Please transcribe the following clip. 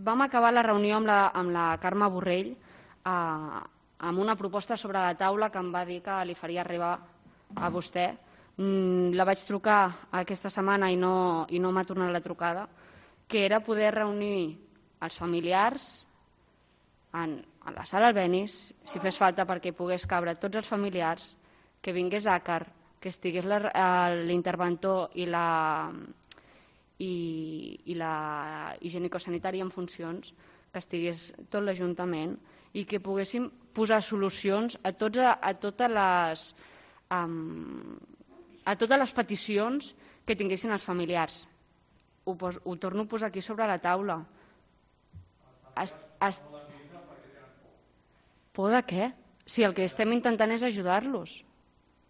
vam acabar la reunió amb la Carme Borrell amb una proposta sobre la taula que em va dir que li faria arribar a vostè. La vaig trucar aquesta setmana i no m'ha tornat la trucada, que era poder reunir els familiars a la sala Albéniz, si fes falta, perquè pogués cabre tots els familiars, que vingués ACAR, que estigués l'interventor i la higienicosanitària en funcions, que estigués tot l'Ajuntament i que poguéssim posar solucions a totes les peticions que tinguessin els familiars. Ho torno a posar aquí sobre la taula. Por de què? Si el que estem intentant és ajudar-los.